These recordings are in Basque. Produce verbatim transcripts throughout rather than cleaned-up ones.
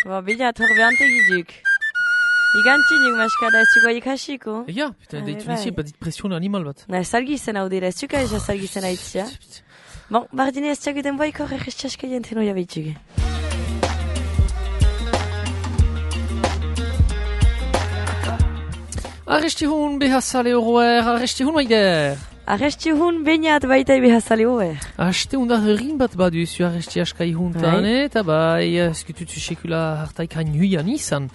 Ba, bilat hor behante giduk. Igantinik maskada ez zuko ikasiko. Ega, putain, deitu nizi, bat dit pression animal bat. Na, salgizen hau dira, ez zuka ez salgizen haitzia. Bon, bardine ez txaguten boiko horrek txaska jenten oia behitzuge. Arresti hun behazale horroer, arresti hun maider. Arresti hun bainat baita behazale horroer. Aste hun da herrin bat baduzu arresti askai huntan, eta bai, eskututu sekula hartaik hain izan.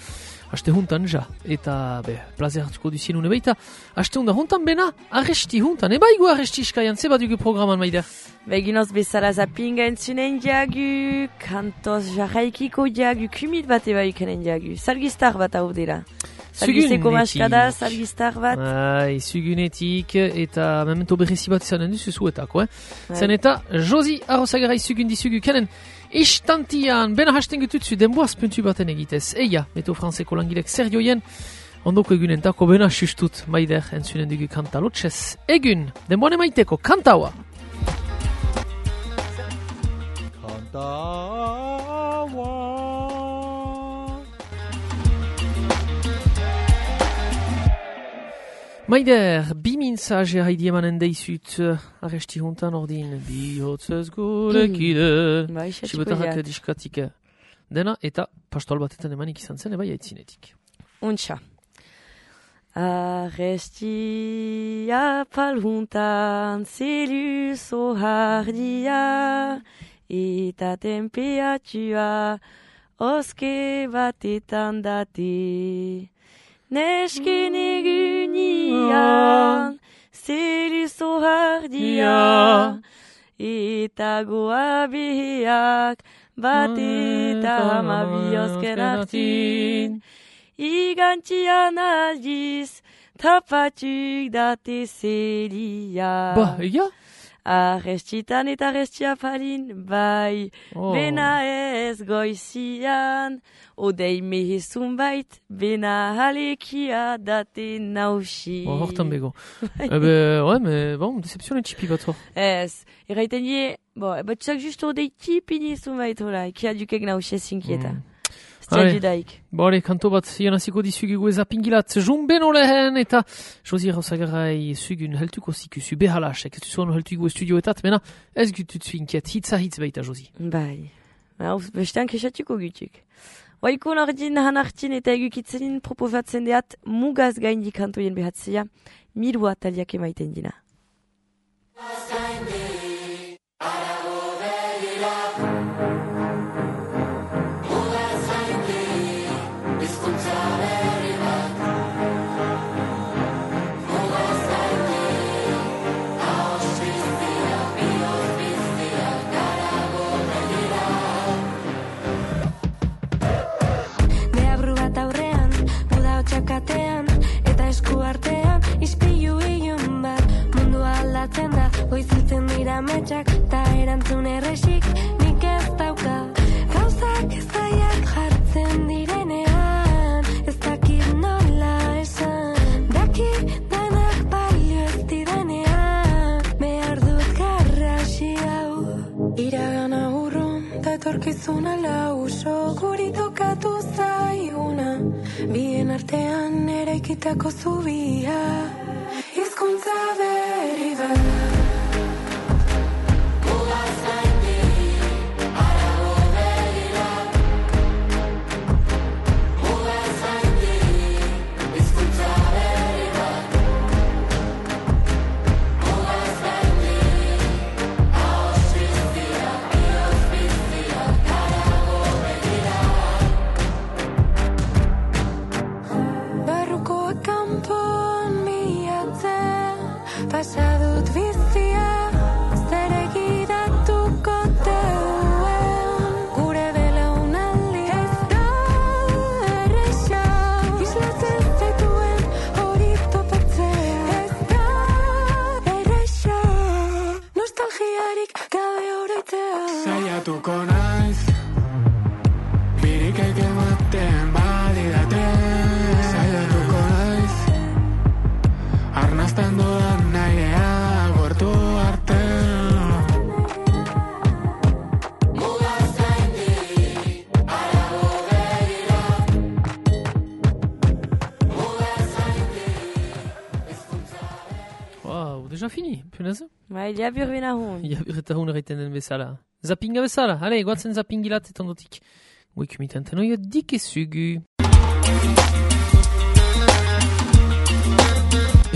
Aste huntan ja, eta be, plazer hartuko duzien une baita. Aste hun da huntan bena, arresti huntan, eba igu arresti iskaian, ze badugu programan maider. Beginoz bezala zapinga entzunen diagu, kantoz jarraikiko diagu, kumit bat eba ikanen diagu, salgistar bat hau dira. Salgisteko maskada, salgistar bat. Ai, sugunetik, eta memento berrezi bat izanen duzu zuetako, eh? Zen eta, Josi Arrozagarai sugundi sugu kanen, istantian, bena hasten gututzu denboaz puntu baten egitez. Eia, meto franzeko langilek zer joien, ondoko egunen tako bena sustut, maider, entzunen dugu kanta lotxez. Egun, denboan emaiteko, kantaua. Kantaua. Maider, bi mintzage haidi emanen deizut, arresti hontan ordin, bihotzez gurekide, sibotarrak diskatik dena, eta pastol batetan emanik izan zen, eba jaitzinetik. Untxa. Arresti apal hontan, zelu zohardia, eta temperatua, oske batetan date. Nesken egunian, zelu zohardia, eta goa beheak, bat eta hamabi osken hartin. Igantian aldiz, tapatuk date zelia. Ba, ega? Arrestitan eta arrestia palin, bai, oh. Bena ez goizian, odei mehezun bait, bena halekia date nausi. Oh, hortan bego. Ebe, ouais, mais bon, deception etxipi bat hor. Ez, erraiten die, bo, bat txak justo odei tipi nizun bait hola, kia dukek nausi ezinkieta. Mm. Bore, kanto bat janaziko dizugu ezapingilat jumben olehen eta Josi Arrozagarai sugun heltuko zikusu behalasek, ez duzuan heltugu estudioetat, mena ez gututzu inkiet, hitza hitz baita Josi. Bai, bestan kesatuko gutuk. Oiko nordin hanartin eta egukitzenin proposatzen deat mugaz gaindi kantoien behatzea, mirua taliak emaiten dina. Katean, eta esku artean, ispilu ilun bat, mundu aldatzen da, goiziltzen dira metxak, ta erantzun erresik, nik ez dauka, gauzak ezaiak jartzen direnean, ez dakit nola esan, dakit denak balio ez direnean, behar dut garrasi hau, iragana urrun, da etorkizuna lau, soguri tokatu zaiguna, bien artean eraikitako zubia, hizkuntza berri bat. Pasadut bizia, zer egiratuko teuen, gure belaunaldi ez da erresa, islatzen zaituen hori topatzea, ez da erresa, nostalgiarik gabe oroitzea. Saiatuko naiz, birikek ematen badidate, saiatuko naiz, arnazten dudan nairea gortu arte. Mugaz gaindi, arago begira, Oh, déjà fini, punaise. Bai, jabir bena hun. Jabir eta hun erraiten den bezala. Zappinga bezala, ale, guatzen zappingilat eta ondotik. Goikumitan tenoia dikezugu.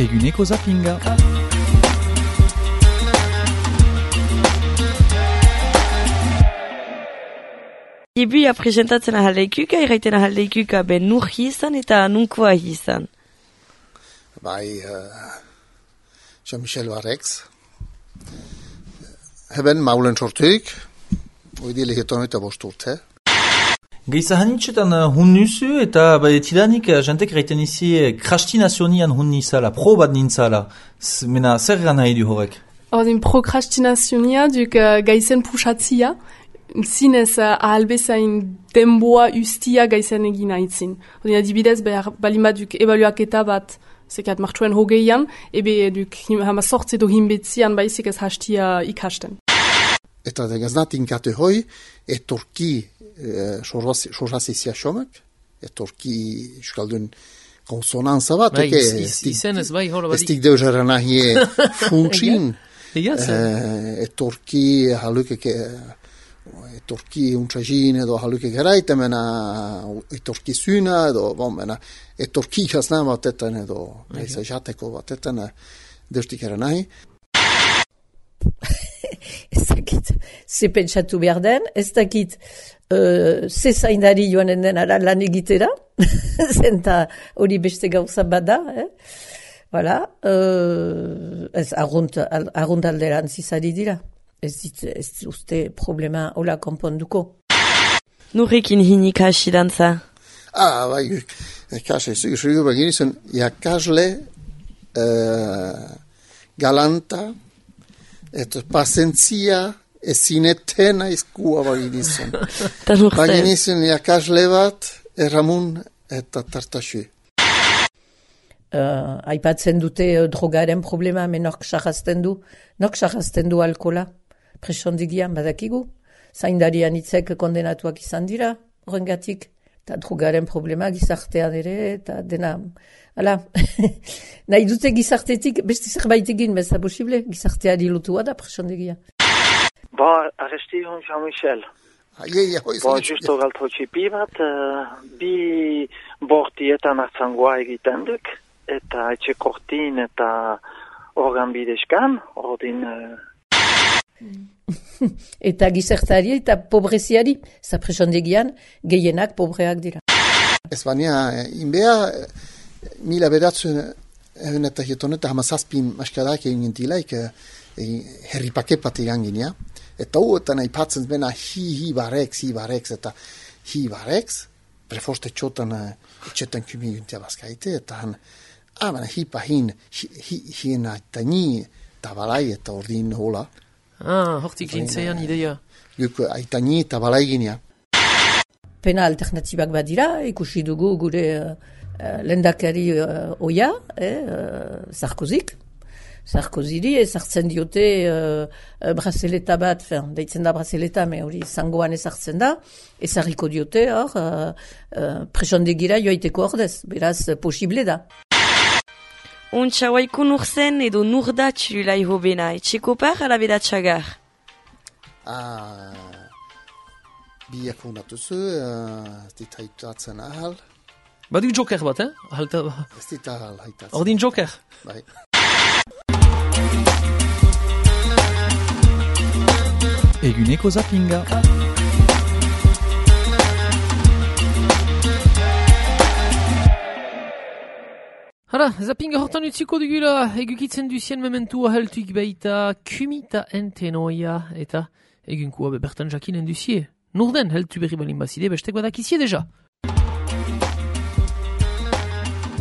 Eguneko zappinga. Ibu presentatzen ahaldeikuka, irraiten ahaldeikuka ben nur izan eta nunkoa izan. Bai, uh, Jean-Michel Barrex. Heben maulen sortuik, oidile hiton eta bost urte. Geiza hanitxetan hun nuzu eta bai, tidanik jantek raiten izi krastinazioan hun nizala, pro bat nintzala. Mena zer gana nahi du horrek? Ordin prokrastinazioa duk uh, gaizen pusatzia. Zinez uh, ahalbezain denboa ustia gaizen egin haitzin. Ordin adibidez, balima duk ebaluaketa bat zekat martxuen hogeian, ebe duk hama sortze do hinbetzian baizik ez hastia ikasten. Eta degaznatin kate hoi, etorki sorrazizia xomek, etorki euskaldun konsonanza bat, bai, izenez bai, hola badik. Estik deuzera nahie funtsin, etorki halukeke, etorki untsagin edo haluke geraita mena etorki zyna edo bon mena etorki jasna batetan edo gaiza jateko batetan deustik era nahi. Ez dakit, ze pentsatu behar den, ez dakit uh, ze zaindari joanen den ara lan egitera, zenta hori beste gauza bada, eh? Voilà, uh, ez argunt, argunt alderan zizari dira. Ez dit, ez uste problema hola konponduko. Nurrekin hinik hasi dantza? Ah, bai, ikasle, zugu begin izan, jakasle uh, galanta, eta pasentzia ezinetena izkua bagin izan. Bagin izan jakasle bat, erramun eta tartaxu. Uh, aipatzen dute uh, drogaren problema, men nork sarrazten du, nork sarrazten du alkola. Presondigian badakigu, zaindarian itzek kondenatuak izan dira, horrengatik, eta drogaren problema gizartean ere, eta dena, ala, nahi dute gizartetik, beste zerbait egin, beza posible, gizarteari lotua da presondigia. Ba, arresti hon Jean-Michel. Ba, justo galto txipi bat, uh, bi bortietan hartzangoa egiten duk, eta etxe kortin eta organ bidezkan, ordin... Uh, eta gizartari eta pobreziari, za presondegian gehienak pobreak dira. Ez baina, inbea, mila beratzen egun eta hieton eta hamazazpin maskadak egin gintilaik herripake bat egan ginean. Eta hu eta nahi patzen bena hi hi bareks, hi bareks eta hi bareks, prefoste txotan etxetan kumi gintia bazkaite, eta han, ah, baina hi pahin, hi hiena eta ni tabalai eta ordin hola. Ah, hortik gintzean ideia. Guk aitani eta balai ginea. Pena alternatibak badira, ikusi dugu gure uh, lendakari uh, oia, eh, uh, Sarkozik. Sarkoziri, ezartzen diote uh, brazeleta bat, fin, deitzen da brazeleta, me hori zangoan ezartzen da, ezarriko diote, hor, uh, uh, presondegira joaiteko ordez, beraz, posible da. Untxa waiko nurzen edo nurda txilulai hobena, etxeko par ala bedatxagar? Ah, biak honatuzu, uh, ez dit haitatzen ahal. Badik joker bat, eh? Halta... Ez dit ahal haitatzen. Ordin joker? Bai. Eguneko zappinga. Hala, zappinga hortan utziko dugula, egukitzen duzien mementua heltuik baita kumita entenoia, eta egunkua bebertan jakinen duzie. Norden heltu berri balin bazide, bestek badakizie deja.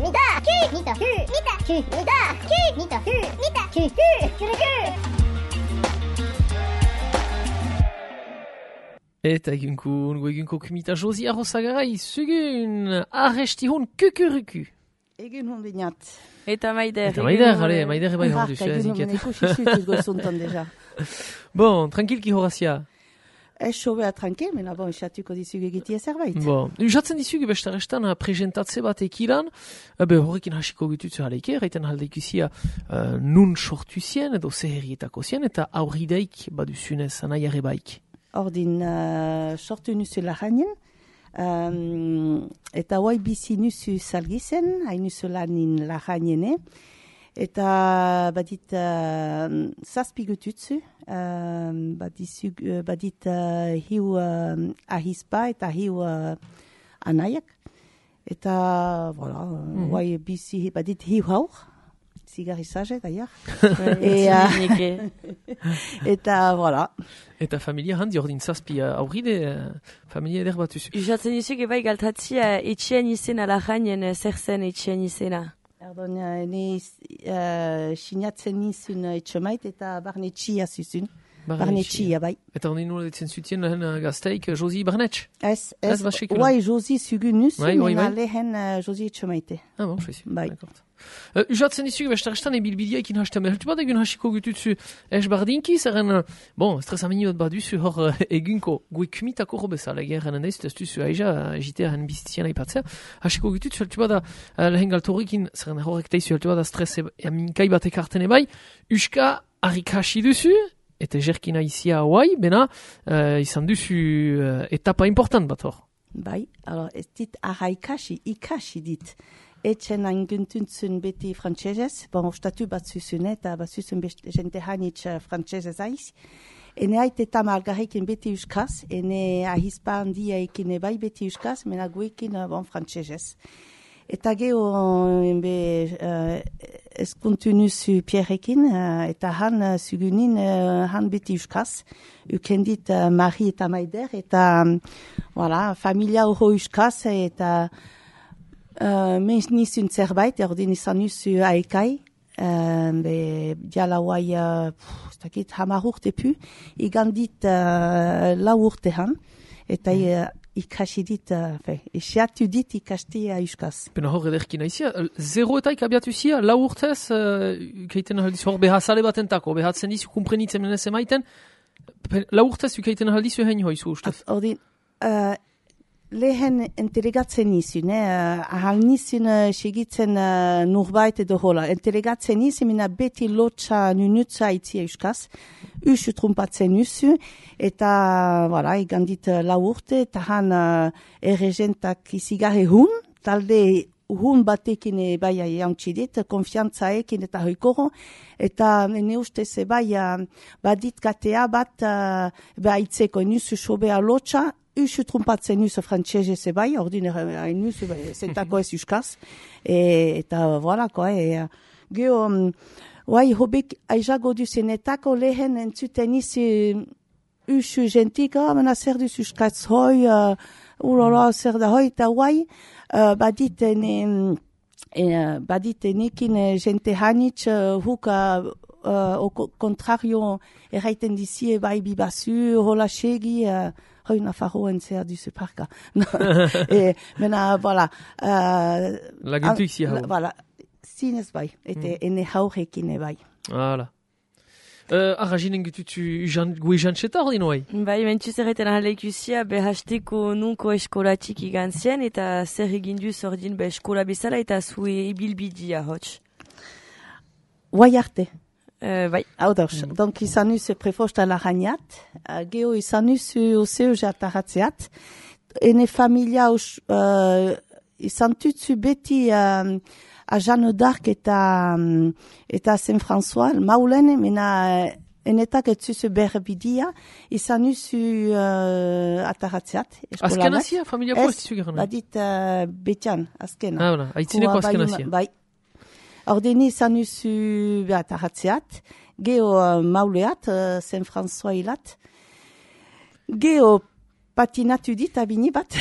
Nita, ku, nita, ku, nita, ku, nita, ku, nita, ku, nita, ku, ku, ku, ku. Eta egunku, nugu egunko kumita Josi Arrosagarai, zugun, arresti hon kukuruku. Egun hon binat. Eta maider. Eta maider, hale, maider ebai hon duzu, eziket. Egun hon ikusi zutuz goizuntan deja. Bon, tranquilki horazia. Ez sobea tranke, mena bon, esatuko dizugu egitea zerbait. Bon, usatzen dizugu bestarestan presentatze bat ekiran, be horrekin hasiko gututzu haleike, erraiten haldeikuzia uh, nun sortu zien, edo zeherrietako zien, eta aurrideik baduzunez anai ere baik. Ordin, uh, sortu nuzu lahainen, um, eta hoai bizi nuzu salgizen, hain nuzu lanin lahainene, eta badit uh, zazpi gututzu, uh, badit, uh, badit uh, hiu uh, ahispa eta hiu uh, anaiak. Eta, voilà, mm-hmm. Hoai bizi badit hiu haur, zigarrizage d'ailleurs. et, uh, eta, voilà. Eta familia handi ordin zazpi uh, aurride, uh, familia eder bat duzu. Usatzen dizugu bai galtatzia etxean izena lahainen zer zen etxean izena. Erdon, ni uh, sinatzen nizun etxemait eta barnetxia zuzun. Barnetxia, bai. Eta honi nola ditzen zutien lehen gazteik Josi Barnetx? Ez, ez, oai Josi zugun nuzun, mena lehen Josi etxemaite. Ah bon, je sais. Bai. Uh, usatzen dizugu bestarestan ebilbidia ekin hastan behar bat egun hasiko gututzu ez bardinki, zerren, bon, stresamini bat baduzu hor uh, egunko guekumitako robezala, gerren endaiz, ez duzu aiza, egitea hen bizitian aipatzea, hasiko gututzu heltu bada uh, lehen galtorikin, zerren horrek teizu heltu bada stres aminkai bat ekartene bai, uska harrik hasi duzu, eta jerkina izia hauai, bena uh, izan duzu uh, etapa important bat hor. Bai, alors, ez dit arraikasi, ikasi dit. Etxen anguntuntzun beti frantsesez, bon, ostatu bat zuzun eta bat zuzun jente hanitz frantsesez aiz. Ene haite eta malgarrekin beti euskaz, ene ahispa handia ekin bai beti euskaz, mena guekin bon, frantsesez. Eta geho be, uh, eskuntu nuzu Pierrekin, uh, eta han uh, zugunin uh, han beti euskaz. Ukendit uh, Marie eta Maider, eta um, voilà, familia horro euskaz, eta Uh, Mens nizun zerbait, ordin izan nuzu aikai, uh, be diala huai, uh, stakit hamar urte pu, igandit uh, lau urte han, eta uh, ikasi dit, uh, fe, esiatu dit ikasti euskaz. Pena hor ederkina izia, zero eta ikabiatu zia, lau urtez, uh, ukaiten aldiz hor behazale batentako, behatzen dizu kumprenitzen menez emaiten, lau urtez ukaiten aldizu hein hoizu ustez? Ordin, uh, lehen entelegatzen nizun, eh? Ahal nizun uh, segitzen uh, nurbait edo hola. Entelegatzen nizun, mina beti lotxa nunutza itzia euskaz, usu trumpatzen nuzu, eta, voilà, igandit uh, lau urte, eta han uh, erregentak izigarre hun, talde hun batekin bai jauntxidit, konfiantzaekin eta hoikoro, eta ne ustez bai uh, badit gatea bat uh, baitzeko nuzu sobea lotxa, usu trumpatzen nuzu frantsesez bai, ordinera hain nuzu, zentako ez euskaz, e, eta voilà, koa, e, geho, um, oai, hobek aizago duzenetako lehen entzuten izi usu gentik, ah, mena zer duz euskaz hoi, uh, urala, zer da hoi, eta oai, uh, badit ene, uh, badit enekin gente hanitz, uh, huka, uh, o contrario, erraiten dizie, bai bibazu, hola segi, uh, hoi nafarroen zer duzu parka. e, mena, voilà. Uh, Laguntuik zi hau. Voilà. Zinez bai, eta mm. ene haurekin bai. Voilà. Uh, Arraginen gututzu gue jantzeta hori noai? Bai, mentuz erreten ahaleikusia behasteko nunko eskolatik igantzien, eta zer egindu zordin be eskola bezala eta zue ibilbidia hotx. Guai arte. Uh, bai. Hau dauz, mm. donk izan nuzu prefosta laraniat, uh, geho izan nuzu oseo jataratzeat, ene familia us, uh, izan tutzu beti uh, a Jeanne d'Arc eta, um, eta Saint François, maulen, mena uh, enetak etzuzu berbidia, izan nuzu uh, ataratzeat. Azken azia, familia ko ez dizu gero? Badit uh, betian, azkena. Ah, voilà, haitzineko azken azia. Bai. Ordeni izan nuzu ataratzeat, geho uh, mauleat, uh, Saint François hilat, geho patinatu dit abini bat,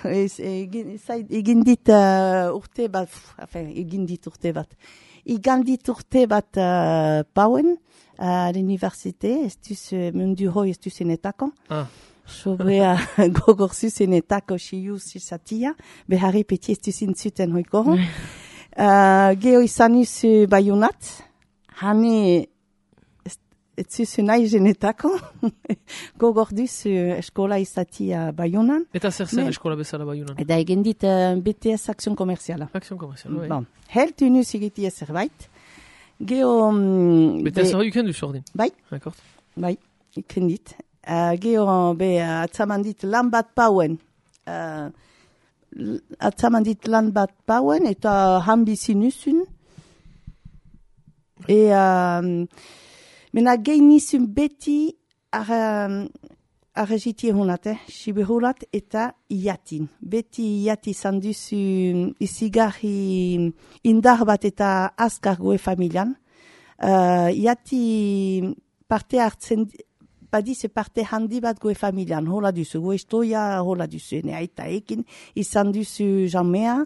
egin dit uh, urte bat, enfin, egin dit urte bat, igan dit urte bat uh, pauen, à l'université, ez duz mundu hoi ez duzenetako. Ah. Sobea gogor zuzenetako siu zizatia, beharri peti ez duzintzuten hoikoro. Uh, geho izan izu baiunat, hane ez zuzu nahi genetako, gogor duzu eskola izatia Baionan. Eta zer zen eskola bezala Baionan? Eta egin dit uh, B T S Akzion Komerziala. Akzion Komerziala, bai. Bon, heltu nuz egitia zerbait. Geo... Um, B T S hori iken duzu ordin? Bai. D'accord. Bai, iken dit. Uh, geo, be, uh, atzaman dit lan bat pauen. Uh, atzaman dit lan bat pauen, eta han bizi nuzun. Et euh, mena gein nizun beti arregitie honat, eh? Siberulat eta iatin. Beti iati izan duzu izigarri indar bat eta azkar goe familian. Uh, iati parte hartzen, badize parte handi bat goe familian, hola duzu, goe istoia hola duzu, ene aita ekin izan duzu jamea.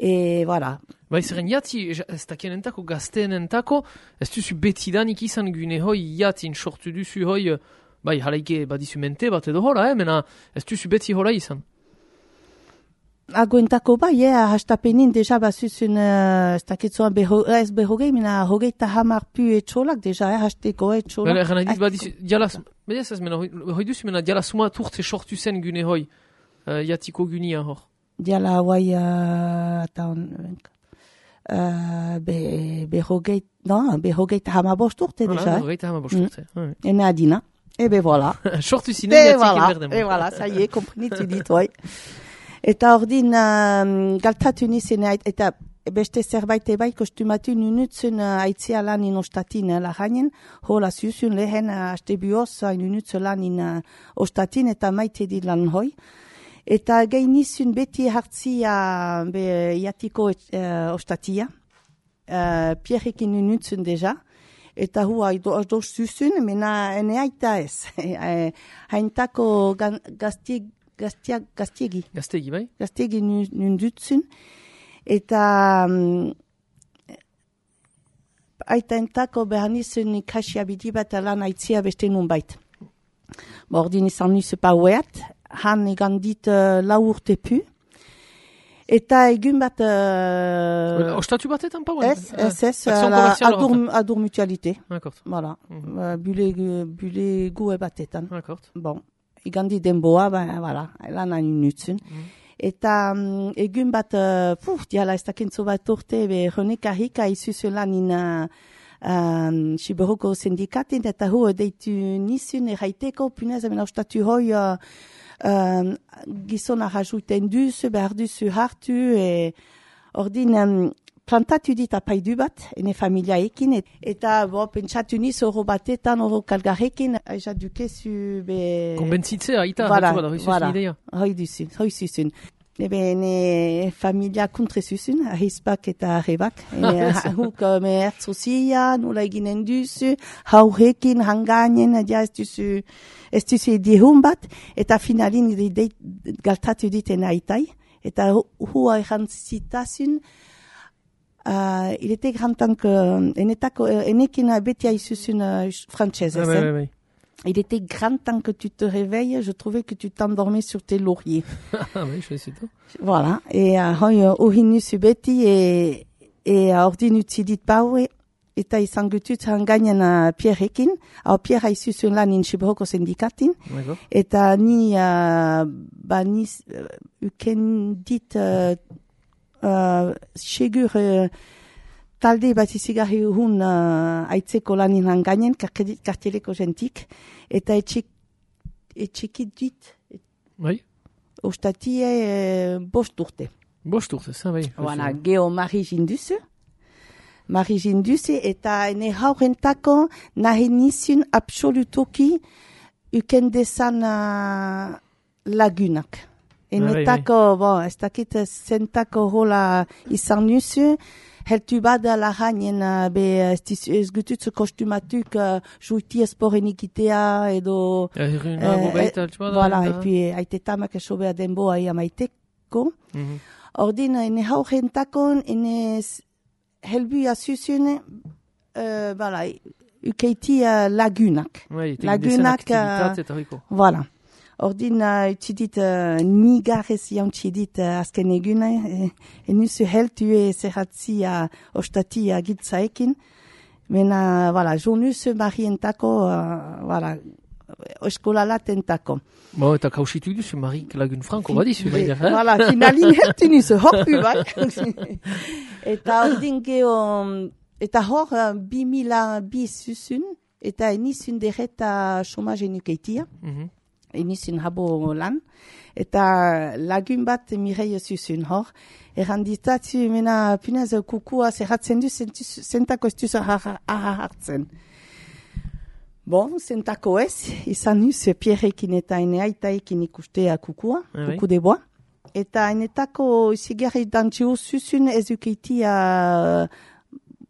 Et voilà. Bai, zeren jati, ez dakienentako, gazteenentako, ez duzu betidanik izan gune hoi jatin sortu duzu hoi, bai, halaike badizu mente bat edo hola, eh, mena ez duzu beti hola izan. Agoentako bai, eh, hastapenin deja bazuzun, uh, ez dakitzoan beho, ez behogei, mena hogeita hamar pu etxolak deja, eh, hasteko etxolak. Bela, eran adit badizu, dialaz, bedez ez mena, hoi duzu mena diala suma turte sortu zen gune hoi, uh, jatiko gunia hor. Diala hauai, uh, eta on, uh, be, behogeit, non, behogeit hamabost urte voilà, deja. Behogeit hamabost urte. Mm. Oui. Ene adina. E be voilà. Sortu zinen jatik voilà, enberdem. E voilà, ça y est, komprenitu dit, oi. Eta ordin, uh, galtatu nizene, eta beste zerbait ebai kostumatu nunutzen uh, aitzia lan inostatin uh, lahanen, hola zuzun lehen uh, aste bioz uh, nunutzen lan in uh, ostatin eta maite di lan hoi. Eta gein nizun beti hartzia be iatiko uh, ostatia, uh, pierrekin nunutzen deja, eta hua doz zuzun, mena ene aita ez. Haintako gaztieg, gaztieg, gaztiegi. Gaztiegi, bai? Gaztiegi nundutzen. Eta um, aita entako behar nizun ikasia bidibat lan aitzia beste nun bait. Bordin izan nizu paueat, han egan dit uh, lau urte pu. Eta egun bat... Uh, Ostatu batetan pauen? Ez, ez, ez, adur, adur mutualité. D'accord. Voilà, mm-hmm. uh, bule, bule gue batetan. D'accord. Bon, egan dit denboa, ben, voilà, lan hain nutzen. Mm-hmm. Eta um, egun bat, uh, puf, diala ez dakentzo bat urte, be, honek ahika izuzu lan in... Uh, Um, Siberoko sindikatin, eta hu deitu nizun erraiteko, punez, amena ostatu hoi uh, um, gizona rajouten duzu, behar duzu hartu, e ordin um, plantatu dit apaidu bat, ene familia ekin, et, eta bo, pentsatu niz oro batetan, oro kalgarekin, aja dukezu be... Konbentzitzea, aita, voilà, hatu bada, hoi voilà, zuzun ideia. Hoi duzun, hoi zuzun. Ebe, ene familia kontrezuzun, ahispak eta arrebak. Huk me ertzuzia, nula eginen duzu, haurekin, hanganen, ja ez duzu, ez duzu edihun bat, eta finalin galtatu ditena aitai. Eta hua erantzitazun, uh, il était grand temps que, enetako, enekin beti aizuzun uh, frantzese, ah, zen. oui, oui. Il était grand temps que tu te réveilles, je trouvais que tu t'endormais sur tes lauriers. Ah oui, je sais tout. Voilà, et hoi ohinu subeti, et et ordin utzidit paue, eta izan gutut hangainen Pierrekin, au Pierre aizuzun lan in Siberoko sindikatin, eta ni, uh, ba ni, uh, uken dit, uh, uh, segur, uh, talde bat izigarri hun uh, aitzeko lanin hangainen, karteleko jentik, eta etxik, etxikit dit, bai? Ostatie uh, bost urte. Bost urte, za bai. Voilà, geho Mari Jinduze, Mari Jinduze, eta ene haurentako nahi nizun absolutoki ukendezan uh, lagunak. Enetako, ah, bon, ez dakit zentako hola izan nuzu, heltu bada lahainen, be ez gututzu kostumatuk uh, juiti esporen ikitea edo... Erruna, bobeita, altsu bada. Voilà, epi aitetamak esobea denboa ia maiteko. Ordin, ene haurentako, ene helbuia zuzune, uh, voilà, ukeiti uh, lagunak. Oui, lagunak, uh, voilà. Ordin, uh, utxidit, uh, nigarez jauntxidit uh, azken eguna, e, enuzu heltu e zerratzi uh, ostati uh, gitzaekin, Mena, voilà, jonuz marientako, uh, voilà, eskola latentako. Bo, eta kausitu duzu Marik lagun franko badizu, baina, eh? Voilà, finalin hertu nizu, horpu bai. Eta ordin geho, eta hor, bi mila bi zuzun, eta enizun derreta chomage enukeitia, mm-hmm. enizun habo lan, eta lagun bat Mireille zuzun hor, erranditatu, mena, punez, kukua zerratzen du, zentako ez duzu hartzen. Bon, zentako ez, izan nuz Pierrekin eta ene aitaekin ikustea kukua, ah, kuku de boa. Eta enetako zigarri dantxio zuzun ezukeitia,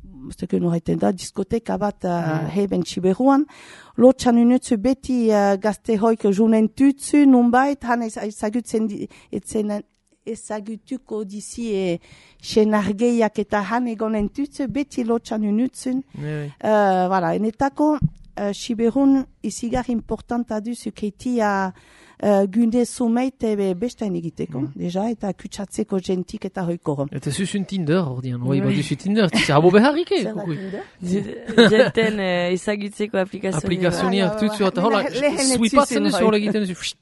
mozteko norreiten da, diskoteka bat uh, heben txiberuan. Lotxan unutzu beti uh, gazte hoik junen tutzu, nunbait, han ezagutzen etzen ezagutuko dizi e, senargeiak eta han egonen tutzu, beti lotxan unutzun. Oui. Uh, voilà, enetako, Uh, Siberun izigar importanta duzu keitia uh, gunde sumeite be bestain egiteko, mm. deja, eta kutsatzeko gentik eta hoikoro. Eta zuzun Tinder, ordean, oi, bat duzu Tinder, tizia habo beharrike, kukui. Genten ezagutzeko aplikazioa. Aplikazioa, tutzu, eta hola, swipatzen duzu hola egiten duzu,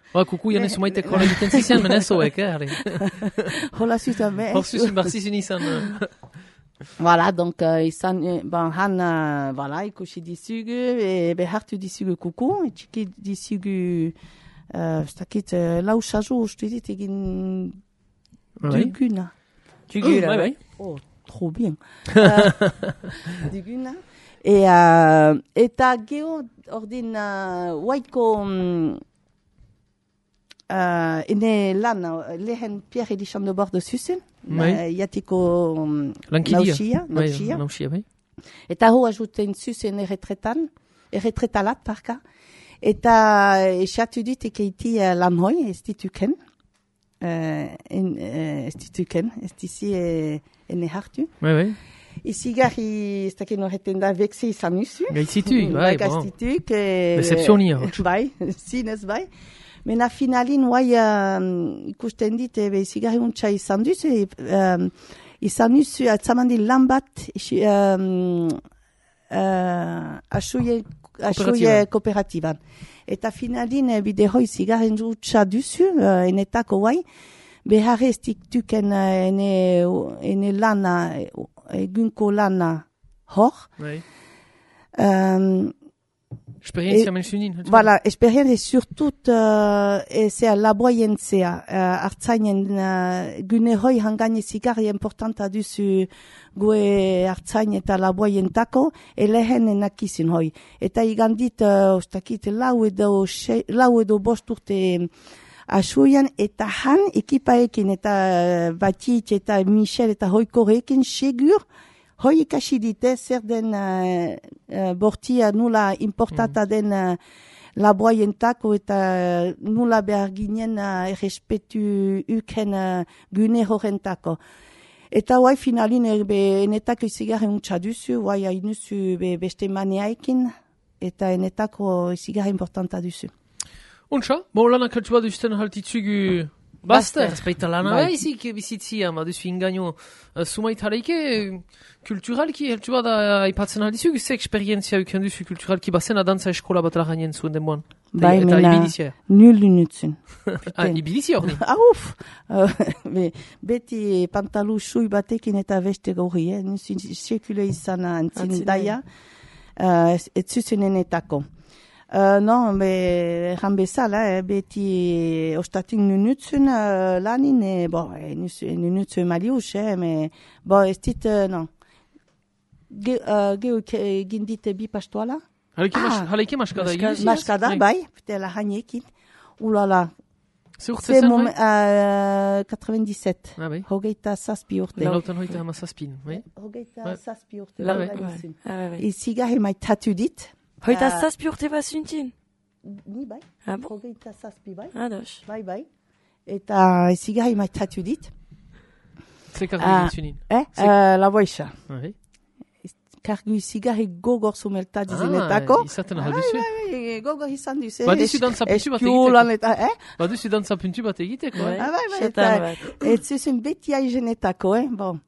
Ba, kuku janen sumaitek hola egiten zizian, menezoek, eh, hola zuzun, me. Hor zuzun barzizun izan. Voilà, donc, euh, izan, ben, han, uh, voilà, ikusi dizugu, e, behartu dizugu kuku, etxiki dizugu, uh, stakit, uh, lau sazo, uste dit, egin duguna. Duguna, bai. Oh, trop bien. uh, duguna. E, uh, eta geho, ordin, uh, waiko, um, uh, ene lan, lehen Pierre Edition de Bordeaux zuzen, Bai. Iatiko um, Lankidia. nausia, nausia, bai. Eta ho ajuten zuzen erretretan, erretretalat, parka. Eta esatu dit ekeiti uh, lan hoi, ez dituken. Uh, en, uh, ez dituken, ez dizi uh, ene hartu. Bai, bai. Izigarri, ez daken horreten da, vekse izan nusu. Gaitzitu, bai, bon. Gaitzituk. Decepzionia. Bai, zinez bai. Mena finalin, guai, uh, ikusten dit, ebe, zigarri untxa izan duz, e, um, izan duz, atzamandi lan bat, um, uh, asuie, asuie kooperatiban. Eta finalin, bide hoi zigarri untxa duzu, uh, enetako guai, behar ez diktuken uh, ene, ene lana, egunko lana hor. Bai. Um, Esperientzia mensunin. Voilà, esperientzia surtut uh, ezea laboientzea uh, hartzainen uh, gune hoi hangane zigarri importanta duzu goe hartzain eta laboientako elehen enakizin hoi. Eta igandit, uh, ostakit, lau edo, xe, lau edo bost urte asuian eta han ekipaekin eta uh, Batit eta Michel eta hoikorekin segur hoi ikasi dite zer den uh, uh, bortia nula importata mm. den uh, laboientako eta uh, nula behar ginen uh, errespetu uken uh, gune horrentako. Eta guai finalin erbe enetako izigarri untxa duzu, guai hainuzu be beste maneaikin eta enetako izigarri importanta duzu. Untxa, bo lanak haltsu bat duzten haltitzugu Basta, ezpaita lana baizik bizitzia, ma duzu ingaino uh, sumait hareike kulturalki, heltu bada aipatzen aldizuk, ze eksperientzia uken duzu kulturalki bazena dantza eskola bat laganien zuen denboan. Bai, mena, nul unutzen. Ah, ibilizia hori? Ah, uf! Uh, beti pantalu sui batekin eta beste gauri, eh? Nusin sekule izan antzin daia, uh, ez zuzen enetako. Uh, non, be, erran bezala, eh, beti ostatin nunutzen uh, lanin, e, bo, e, nunutzen malius, eh, me, bo, ez dit, uh, non. Ge, uh, Geu gindite bi pastoala? Haleike maskada egiz? Maskada, bai, ptela haniekin. Ulala. Ze urte zen, bai? quatre-vingt-dix-sept. Ah, bai. Hogeita zazpi urte. Lautan hoita hama zazpin, bai? Hogeita zazpi urte. Ah, bai. Izigarri maitatu dit. Hoita uh, zazpi urte bazuntin? Ni bai. Ah, bon? Hogeita zazpi bai. Ados. Bai, bai. Eta zigarri maitatu dit. Ze kargu uh, zunin? Eh, uh, la boixa. Ah, bai. Kargu zigarri gogor sumelta dizenetako. Ah, izaten alduzu? Ah, bai, bai, gogor izan duzu. Baduzu dantza puntu bat egiteko. Eh? Baduzu dantza puntu bat egiteko, eh? Ah, bai, bai, eta ez zuzun beti aizenetako, eh? Bon.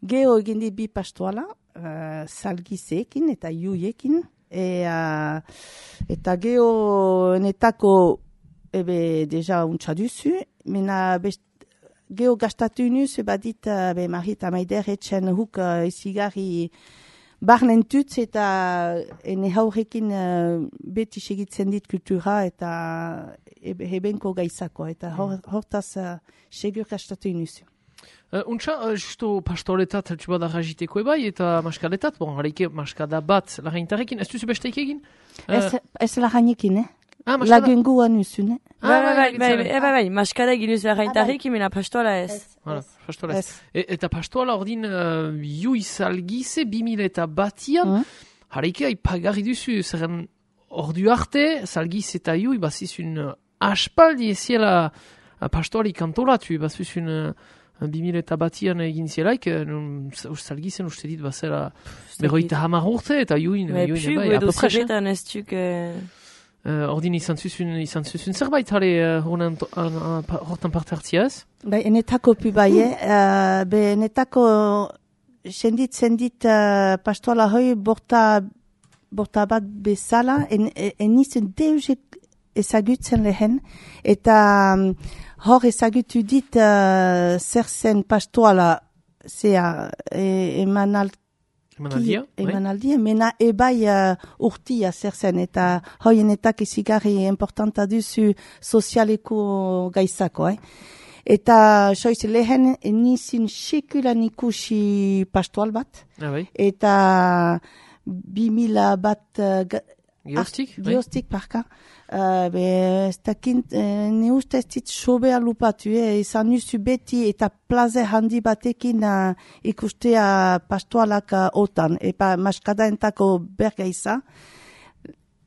Geho egin di bi pastoala. uh, salgizeekin eta iuiekin. E, uh, eta geho netako ebe deja untsa duzu, mena best, geho gastatu nuz, badit uh, be Marit Amaider etxen huk uh, izigarri barnen tutz eta ene haurekin uh, beti segitzen dit kultura eta ebe hebenko gaizako, eta hor, hortaz uh, segur gastatu nuz. Uh, untsa, uh, justo pastoretat heltsu bada rajiteko ebai, eta maskaletat, bon, hareike maskada bat lagaintarekin, ez duzu besteik egin? Uh, ez, ez lagainekin, eh? Ah, maskada? Lagengua nuzun, eh? Bai, bai, bai, bai, bai, maskada egin duzu lagaintarekin, mena pastola ez. Voilà, pastola ez. E, eta pastola ordin uh, juiz algize, bimila eta batian, mm. hareike aipagarri duzu, zerren ordu arte, salgiz eta jui, bazizun uh, aspaldi eziela uh, pastoali kantolatu, bazizun... Uh, bimila eta batian egin zielaik, salgizen uste dit bazera berroita hamar urte, eta juin, juin, bai, edo zerretan ez duk... Ordin izan zuzun, izan zuzun zerbait, hale, hortan parte hartzia ez? Bai, enetako pu bai, eh? Be, enetako sendit, sendit pastoala hoi borta, borta bat bezala, en, en izan deuzek ezagutzen lehen, eta... Hor ezagutu dit uh, zer zen pastoala zea e, emanal, emanaldia, emanaldia, mena ebai uh, urtia zer zen, eta hoienetak izigarri importanta duzu sozialeko gaizako. Eh? Eta soiz lehen nizin sekulan ikusi pastoal bat, ah, bai. Eta bimila bat... Uh, Geostik? Geostik, parka. Uh, be, ez dakint, uh, ne uste ez dit sobea lupatu, eh? Izan nuzu beti eta plaze handi batekin uh, ikustea pastoalak uh, otan, epa maskada entako berga iza.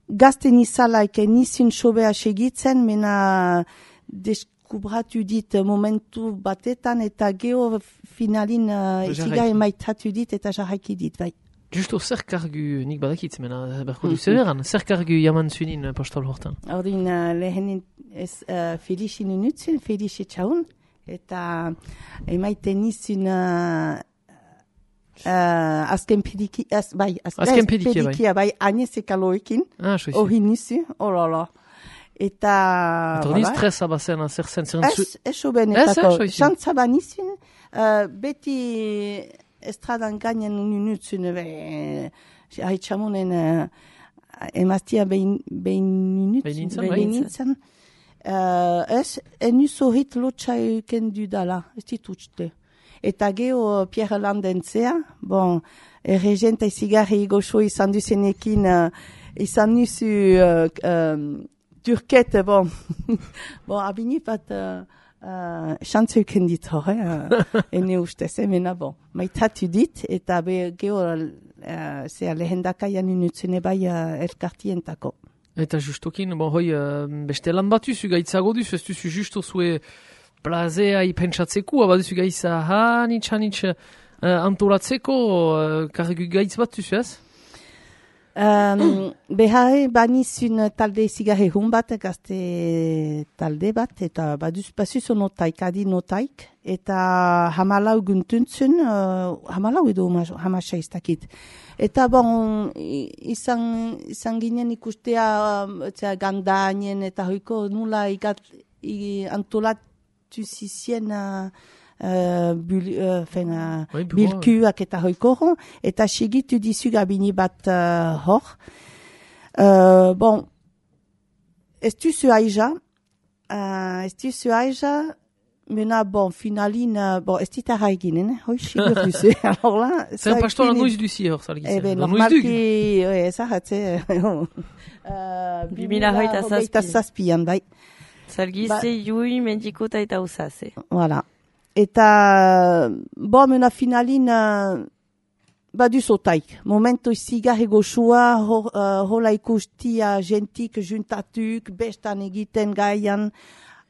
Gazten izalaik nizin sobea segitzen, mena deskubratu dit momentu batetan, eta geho finalin uh, iziga emaitatu dit eta jarraiki dit, bai. Justo, zer kargu, nik badakitz, mena, berko du zeberan, zer kargu jaman zunin pastol hortan? Ordin, uh, lehenin ez uh, Felixi nunutzen, Felixi txaun, eta emaiten nizun uh, uh, azken pediki, az, bai, azken pedikia, pedikia, bai, agnezek aloekin, ah, hori nizu, olala. Eta... Eta hori stresa bazen, zer zen, zer Ez, ez soben, etako, xantza ba nizun, uh, beti... Estradan gainen nunutzen, haitxamonen uh, emaztia behin nunutzen. Behin nintzen, uh, ez, enuz horrit lotxa euken dudala, ez ditutste. Eta geho Pierre Landentzea, bon, erregenta izigarri goxo izan duzenekin, uh, izan nuzu uh, um, turket, bon, bon, abini bat... Uh, Uh, Xantzeuken dit hor, eh? Ene ustez, emena bon. Maitatu dit, eta be geho uh, zea lehendakaian inutzen ebai uh, elkartientako. Eta justokin, bon, hoi, uh, beste lan bat duzu gaitzago duzu, ez duzu justo zue plazea ipentsatzeko, aba duzu gaitza hanitz, hanitz uh, antolatzeko, uh, kargu gaitz bat duzu, ez? Um, behar banizun talde zigarre hun bat, gazte talde bat, eta baduz basuz notaik, adi notaik, eta hamalau guntuntzun, uh, hamalau edo hamasa iztakit. Eta bon, izan, izan ginen ikustea uh, gandainen eta hoiko nula igat, i, antolatu zizien... Uh, Uh, bul, uh, fena, oui, bilkuak eta hoikoro, eta segitu dizu gabini bat uh, hor. Uh, bon, ez duzu aija, uh, ez duzu aija, mena, bon, finalin, uh, bon, ez ditarra eginen, hoi, sigur duzu. Alors là, c'est un pastola noiz duzi hor, salgiz. Ebe, normalki, ez ahatze, bimila hoita zazpian, bai. Salgize, jui, mendikota eta usaze. Voilà. Eta, bo, mena finalin, uh, badu zotaik. Momento izigarri goxua, uh, hola ikustia gentik juntatuk, bestan egiten gaian.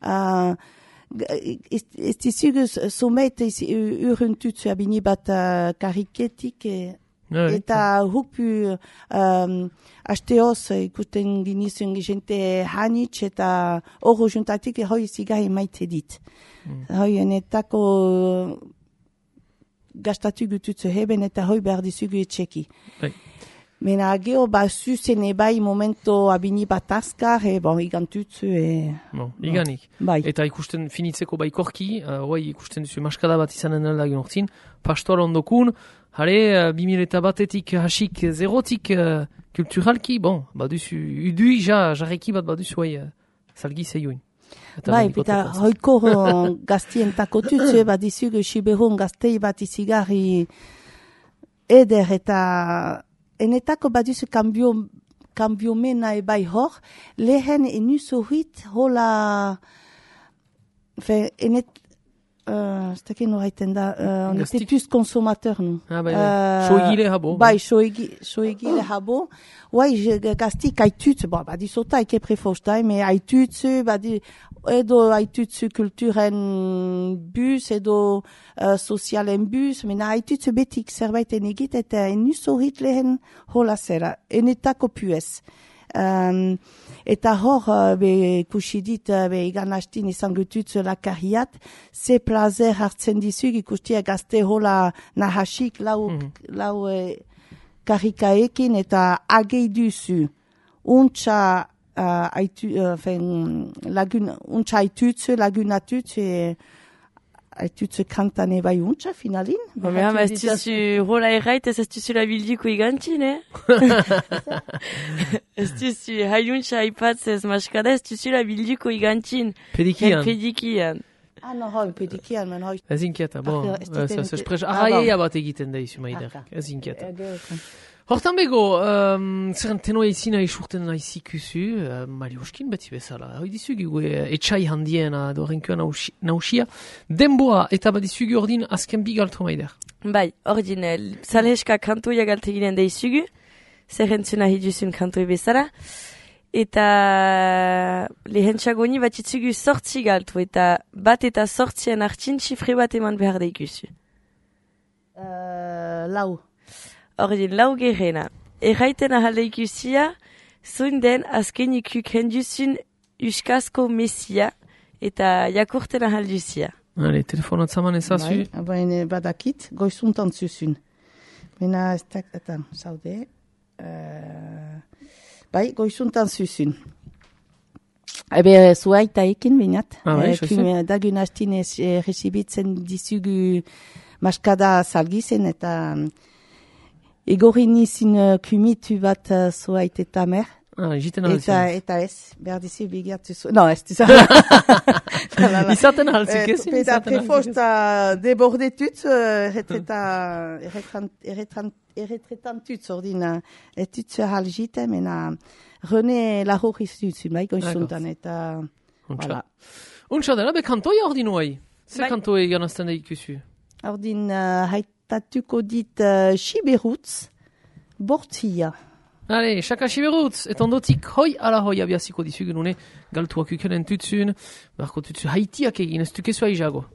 Uh, ez dizugu somet urruntutzu abini bat uh, kariketik. E, ouais, eta hupu um, asteoz ikusten ginizun gente hanitz eta horro juntatik hoi izigarri maite dit. Mm. Hoi enetako gastatu gututzu heben eta hoi behar dizugu etxeki. Bai. Mena geho ba zuzen ebai momento abini bat azkar, e bon, igantutzu e... No, iganik. Bai. Eta ikusten finitzeko bai korki, uh, oai ikusten duzu maskada bat izanen dela ginortzin, pastor ondokun, hare, uh, bimil eta batetik hasik zerotik uh, kulturalki, bon, baduzu, udui ja, jarreki bat baduzu oai uh, salgi zeioin. Bai, eta hoiko gaztientako tutzu, bat dizugu siberun gaztei bat izigarri eder eta... Enetako baduzu kambio, kambio mena ebai hor, lehen enus horrit hola, fe, enet, uh, stekin horreiten da, uh, on était plus consommateur, nu. Ah, bai, bai. Uh, soegile habo. Bai, soegile habo. Bai, gaztik haitutz, bo, badizota eke prefostai, me haitutz, badi, edo haitutz kulturen bus, edo uh, sozialen bus, mena haitutz betik zerbaiten egit, eta enus horrit lehen hola zera, enetako puez. Um, eta hor, uh, be, kusidit, uh, be, igan hastin izan gututz lakarriat, ze plazer hartzen dizug, ikustia gazte hola nahasik, lau, mm-hmm. lau eh, karikaekin, eta agei duzu, untxa, uh, aitu, uh, fen, lagun, untxa aitutz, lagunatutz, e, aitutz kantan ebai untxa, finalin. Ba, mea, ma ez duzu rola errait, ez ez duzu la bildiko igantzin, eh? Ez duzu hailuntxa aipatz ez maskada, ez duzu la bildiko igantzin. Pedikian. Pedikian. Ah, no, hoi, pedikian, men hoi. Ez inkieta, bon. Ez esprez, ahaiea bat egiten da izu maider. Ez inkieta. Hortan bego, um, zerren tenoa izina isurten naizikuzu, uh, Marioskin beti bezala. Hoi dizugu e, etxai handiena dorenkoa nausia. Denboa eta bat dizugu ordin azken bi galtro maider. Bai, ordin, salheska kantoia galteginen da izugu, zerren zuna hiduzun kantoi bezala. Eta lehentxagoni bat itzugu sortzi galtu, eta bat eta sortzien hartzin txifre bat eman behar da ikusu. Uh, lau. Ordin, lau gerena. Erraiten ahalde ikusia, zuen den azken ikuk henduzun uskazko mesia, eta jakurten ahalduzia. Hale, telefonat zaman ezazu. Bai, baina badakit, goizuntan zuzun. Mena ez da, eta, zaude, uh, bai, goizuntan zuzun. Ebe, zuaita ekin, binat. Ah, bai, xoizu. Dagun hastin ez resibitzen dizugu maskada salgizen, eta... Egorin izin uh, kumitu bat uh, zuait eta mer. Ah, jiten eta, eta ez, behar dizi bigiatu zu... No, ez dizu. Izaten halzik ezin. Eta prefosta debordetut, erretretantut, ordina, etut hal jite, mena René lahor izutun, bai, goizuntan, eta... Untsa. Untsa dela, be kantoia ordin oai? Zer kantoia ganazten da ikusu? Ordin, hait, tatuko dit uh, Siberutz, bortzia. Allez, chaka Siberutz, et ondotik hoi ala hoi abiaziko dizugu nune, galtuak ukenen tutzun, barko tutzu haitiak egin, ez tukezu aizago.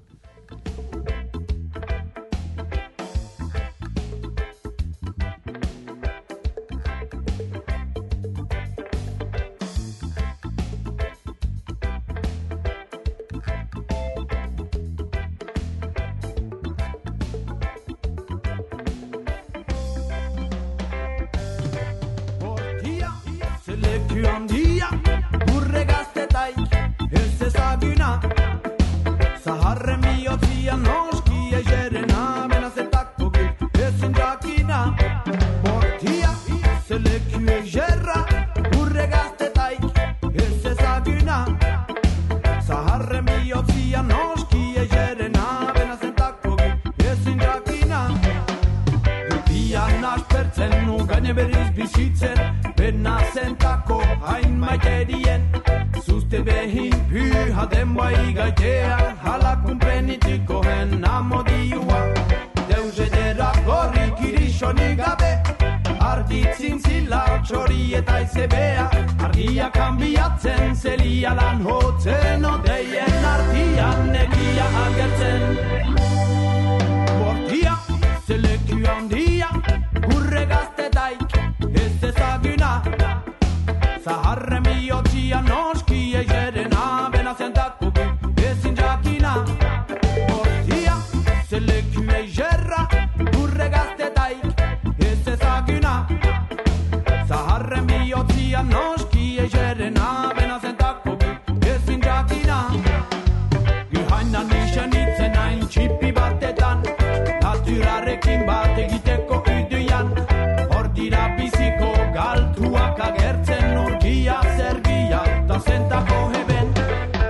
Portia, se le cuie gerra Ia noski egerena bena zentako ezin jakina Gihainan nixen itzen hain txipi batetan Naturarekin bat egiteko iduian Hor dira biziko galtuak agertzen urgia zergia da zentako heben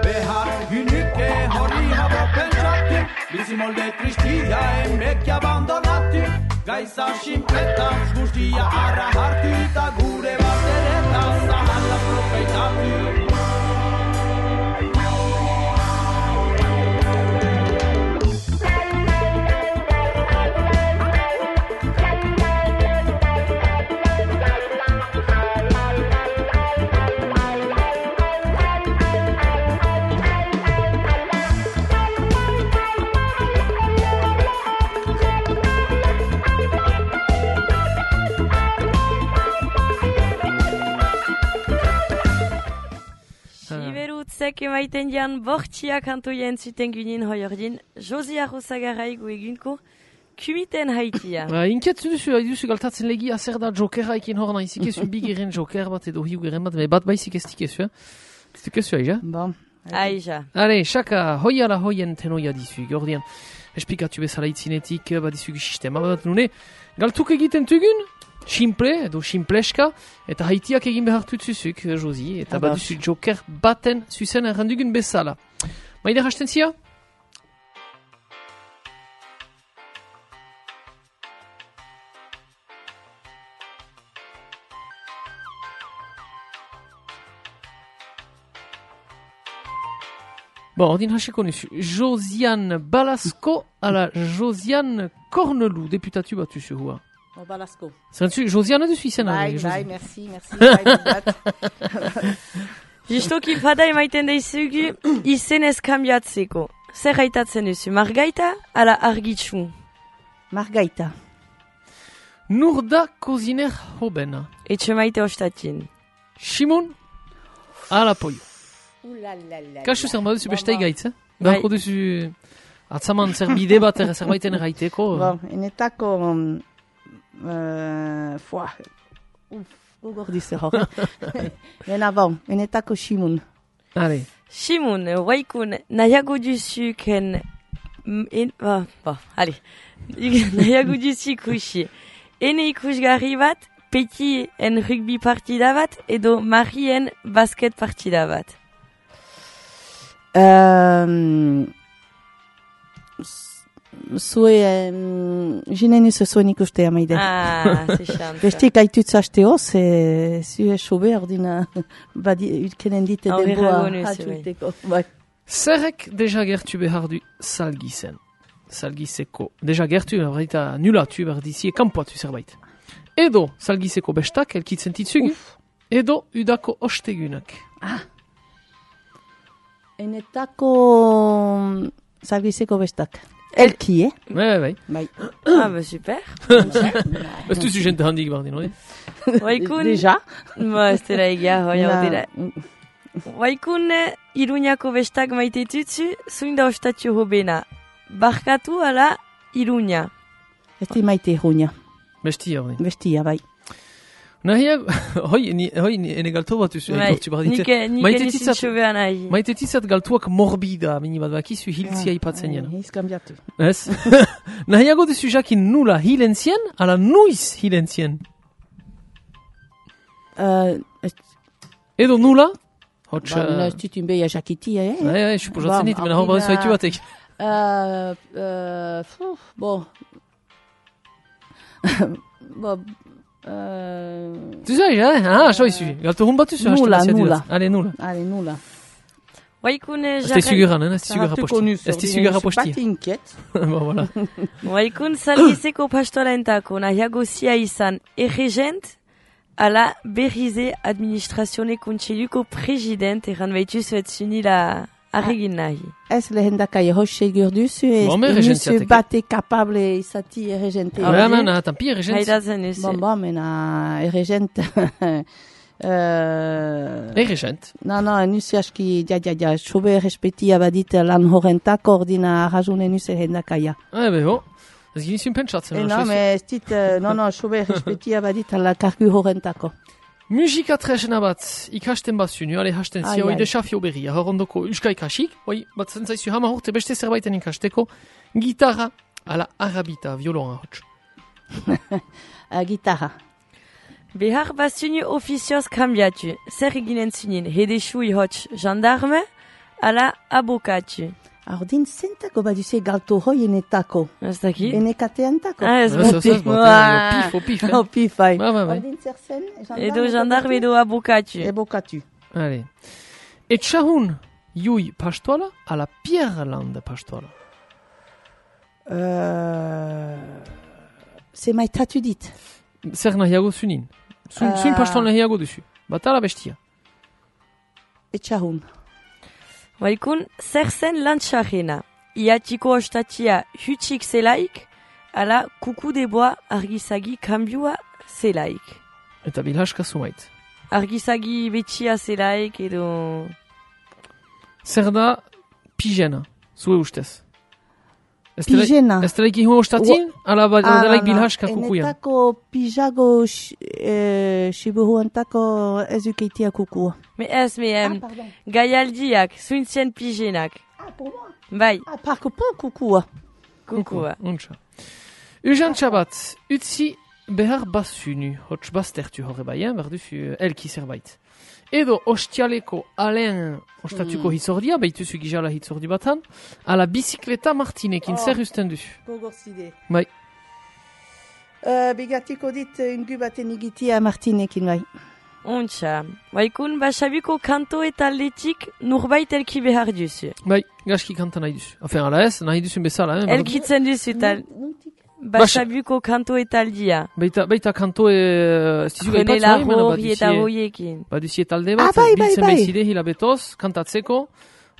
Behar gynike hori habo pentsatu Bizi molde tristia emek abandonatu Gaisa simpleta guztia arra hartu Eta gure bat ere da zahala profeitatu Zek emaiten dian bortxia kantoia entzuten ginen hoi ordin, Josi Arrosagarai egunko kumiten haitia. Uh, Inkiatzen duzu, duzu galtatzen legia zer da jokera ekin hor nahi zikezu bigeren joker bat edo hiu geren bat, me bat baizik ez tikezu, ez tikezu aija? Bon. Aija. Are, xaka, hoiala hoien tenoia dizu, gordian, esplikatu bezala itzinetik, bat dizu sistema bat nune, galtuk egiten tugun, simple, edo simpleska, eta haitiak egin behartu zuzuk, Josi, eta bat duzu joker baten zuzen errandugun bezala. Maide hasten zia? Bon, ordin hasiko nuzu. Josiane Balasco ala Josiane Cornelou, deputatu bat duzu hua. Oh, Balasco. Zerentzu, Josiane duzu izena. Bai, bai, merci, merci. Bai, Justoki fada emaiten daizugu izenez kambiatzeko. Zer gaitatzen duzu, Margaita ala Argitxu? Margaita. Nurda Koziner Hobena. Etxe maite ostatin. Shimon ala Poio. Ulalala. Kasu zer baduzu bestai gaitz, eh? Beharko duzu atzaman zer bide bat zerbaiten erraiteko. Bon, enetako... Uh, foa. Uf, gogordi zer hor. Bena bon, enetako Shimon. Allez. Shimon, waikun, nahiago duzuken... En, oh, bon, allez. Nahiago duzu ikusi. Ene ikusgarri bat, peti en rugby partida bat, edo marien basket partida bat. Um, Zue, um, jinen izo zuen ikustea maide. Ah, ze xanta. Bestik aitutz hasteo, ze zue sobe ordina utkenen dite denboa hatuteko. Zerrek deja gertu behar du salgizen. Salgizeko. Deja gertu, horreita nulatu behar dizie kanpoatu zerbait. Edo salgizeko bestak elkitzen titzugu. Edo udako ostegunak. Ah. Enetako salgizeko bestak. Elki, eh? Bai, bai. Bai. Ah, bah super. Ez duzu jente handik bardin, oi? Waikun... Deja? Ba, ez dira egia, hoi hau dira. Waikun Iruñako bestak maite tutsu, zuinda ostatio hobena. Barkatu ala Iruña. Esti maite Iruña. Bestia, bai. Bestia, bai. Nahia, hoi, hoi, ene galtu bat duzu, etortzi bardite. Nike nizin txobean nahi. Maite tizat galtuak morbida, mini bat bakizu hiltzia ipatzen jena. Hiz kambiatu. Ez? Nahiago duzu jakin nula hilentzien, ala nuiz hilentzien. Edo nula? Hotx... Ba, nina ez ditun beha jakitia, eh? Bai, bai, suposatzen dit, mena hor badizu haitu batek. Bon... Bon... Tu sais, eh? Ah, so izu. Galtu hun bat duzu. Nula, nula. Ale, nula. Ale, nula. Waikun jarrai... Azte isuguran, eh? Azte isugarra posti. Azte isugarra posti. Pati inkiet. Ba, voilà. Waikun salgizeko pastorentako nahiago zia izan erregent ala berrize administrazione kontseiluko president erran baitu zuet zunila arregin nahi. Ez lehendakai hoxe gurduzu ez nuzu bate kapable izati erregente. Ah, ba, mena, tampi erregent. Haidatzen nuzu. Bon, bon, mena erregent... Erregent? No, no, nuzu aski, ja, ja, ja, sobe respetia badit lan horrentako ordina rajune nuzu lehendakaia. Ah, bebo. Ez gini zun pentsatzen. No, me ez dit, no, no, sobe respetia badit la kargu horrentako. Musika tresna bat ikasten bazunu, ale hasten Ai, zia, oi ai. desafio berria, hor ondoko euska ikasik, oi, bat zentzaizu hama urte beste zerbaiten ikasteko, gitarra, ala arabita, violon ahots. Uh, gitarra. Behar bazunu ofizioz kambiatu. Zer eginen zunin, hedexu ihotx gendarme, ala abokatu. Ordin zentako baduze galto hoienetako. Ez daki? Enekateantako. Ah, ez Ez, ez, bati. ez, bati, pif, o pif, eh? O pif, bai. Ba, ba, bai. Ordin zer zen? Edo gendarme edo abokatu. Ebokatu. Allez. Etxahun, jui pastoala, ala Pierreland pastoala. Uh, ze maitatu dit. Zer nahiago zunin. Zun, Ah. zun pastoal nahiago duzu. Bat ala bestia. Etxahun. Baikun, zer zen lantxarrena. Iatiko ostatia hutsik zelaik, ala kuku deboa argizagi kambiua zelaik. Eta bilhaska zumait. Argizagi betxia zelaik edo... Zer da pijena, zue ustez. Ez Pijena. Ez delaik ihun ostatin, ala ba- Ah, delaik no, no. bilhaska kukuyan. Enetako pijago eh, shiburuantako ez ukeitia kukua. Me ez, me em, pardon. gaialdiak, zuintzien pijenak. Ah, pour moi. Bai, Ah, parko pan kukua. kukua. Untsa. Ujan txabat, utzi behar bazunu, hotx baztertu horre baien, behar duzu elki zerbait. Edo ostialeko alen ostatuko hitzordia, behituzu gizala hitzordi batan, ala bizikleta martinekin Oh. zer usten duzu. Gogorzide. Bai. Uh, bigatiko dit ungu baten igitia Martinekin bai. Untxa, baikun, basabiko kanto eta letik nurbait elki behar duzu. Bai, gaski kanta nahi duzu. Afen, ala ez, nahi duzun bezala, eh? Elkitzen duzu eta basabiko kanto eta aldia. Baita, baita kanto e... ez dizu Jene gaipatzu, eh, mena larro eta baduzie- hoiekin. baduzie talde bat, Ah, bai, bai, biltzen bai. bezide hilabetoz, kantatzeko,